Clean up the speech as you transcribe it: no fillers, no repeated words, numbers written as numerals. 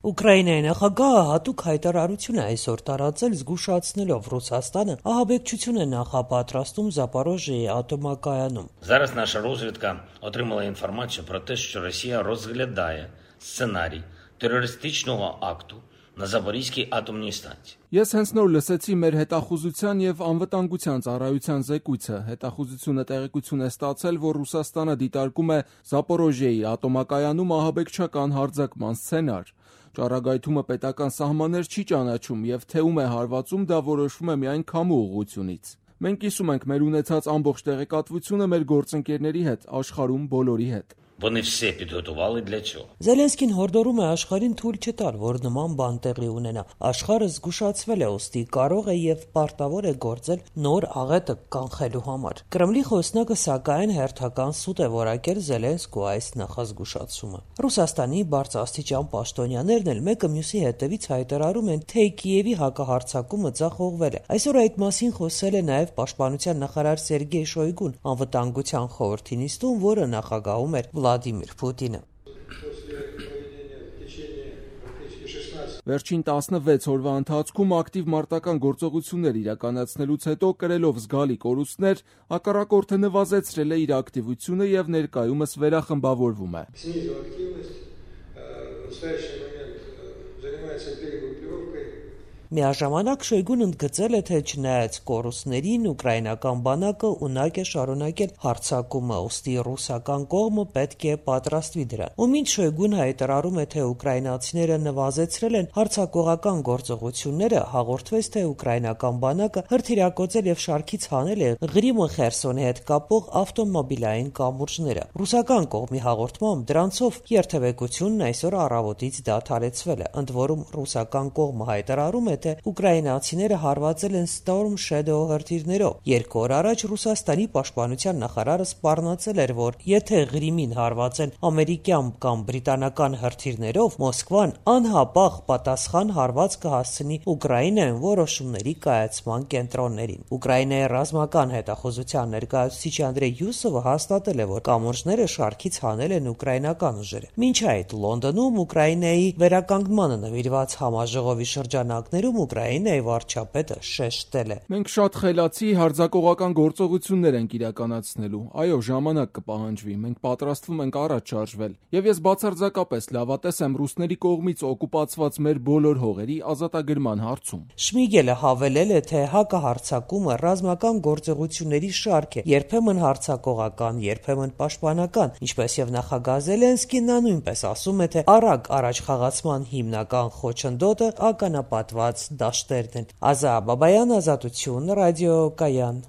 Ուկրաինայի նախագահը հատուկ հայտարարություն է այսօր տարածել, զգուշացնելով Ռուսաստանը ահաբեկչություն է նախապատրաստում Զապորոժիեի ատոմակայանում։ Зараз наша розвідка отримала інформацію про те, що Росія розглядає сценарій терористичного акту на Запорізькій атомній станції. Ես հենց նոր լսեցի մեր հետախուզության եւ անվտանգության ծառայության զեկույցը։ Հետախուզությունը տեղեկություն է ստացել, որ Ռուսաստանը դիտարկում է Զապորոժիեի ատոմակայանում ահաբեկչական հարձակման սցենար։ Ճառագայթումը պետական սահմաններ չի ճանաչում եւ թե ում է հարվածում, դա որոշվում է միայն քամու ուղղությունից։ Մենք կիսում ենք մեր ունեցած ամբողջ տեղեկատվությունը մեր գործընկերների հետ, աշխարհում բոլորի հետ։ Вони все підготували для цього. Զելենսկին հորդորում է աշխարհին թույլ չտալ, որ նման բան տեղի ունենա։ Աշխարհը զգուշացվել է, ուստի կարող է եւ պարտավոր է գործել նոր աղետը կանխելու համար։ Կրեմլի խոսնակը սակայն հերթական սուտ է որակել Զելենսկու այս նախազգուշացումը։ Ռուսաստանի բարձրաստիճան պաշտոնյաներն էլ մեկը մյուսի հետևից հայտարարում են, թե Կիևի հակահարձակումը ձախողվել է։ Այսօր այդ մասին խոսել է նաեւ պաշտպանության նախարար Սերգեյ Շոյգուն անվտանգության խորհրդի նիստում, որը նախագահում էր Վլադիմիր Պուտինը։ Վերջին 16 օրվա ընթացքում ակտիվ մարտական գործողություններ իրականացնելուց հետո կրելով զգալի կորուստներ, հակառակորդը նվազեցրել է իր ակտիվությունը եւ ներկայումս վերախմբավորվում է։ Միաժամանակ Շոյգուն ընդգծել է, թե չնայած կորուստներին ուկրաինական բանակը ունակ է շարունակել հարձակումը, ուստի ռուսական կողմը պետք է պատրաստվի դրան։ Ու մինչ Շոյգուն հայտարարում է, թե ուկրաինացիները նվազեցրել են հարձակողական գործողությունները, հաղորդվեց, թե ուկրաինական բանակը հրթիռակոծել եւ շարքից հանել է Ղրիմը Խերսոնի հետ կապող ավտոմոբիլային կամուրջները։ Ռուսական կողմի հաղորդմամբ դրանցով երթևեկությունն այսօր առավոտից դադարեցվել է։ Ընդ որում ռուսական կողմը հայտարարում է, թե ուկրաինացիները հարվածել են Storm Shadow հրթիռներով։ 2 օր առաջ Ռուսաստանի պաշտպանության նախարարը սպառնացել էր, որ եթե Ղրիմին հարվածեն ամերիկյան կամ բրիտանական հրթիռներով, Մոսկվան անհապաղ պատասխան հարված կհասցնի Ուկրաինայում որոշումների կայացման կենտրոններին։ Ուկրաինայի ռազմական հետախուզության ներկայացուցիչ Անդրեյ Յուսովը հաստատել է, որ կամուրջները շարքից հանել են ուկրաինական ուժերը։ Մինչ այդ Լոնդոնում Ուկրաինայի վերականգնմանը նվիրված համաժողովի շրջանակներում Ուկրաինայի վարչապետը շեշտել է. Մենք շատ խելացի հարձակողական գործողություններ ենք իրականացնելու։ Այո, ժամանակ կպահանջվի։ Մենք պատրաստվում ենք առաջ շարժվել։ Եվ ես բացարձակապես լավատես եմ ռուսների կողմից օկուպացված մեր բոլոր հողերի ազատագրման հարցում։ Շմիգելը հավելել է, թե հակահարձակումը ռազմական գործողությունների շարք է, երբեմն հարձակողական, երբեմն պաշտպանական, ինչպես եւ նախագահ Զելենսկին նա նույնպես ասում է, թե արագ առաջխաղացման հիմնական խոչընդոտը ականապատված դաշտերն են։ Ազա Բաբայան, Ազատություն, ռադիո Կայան։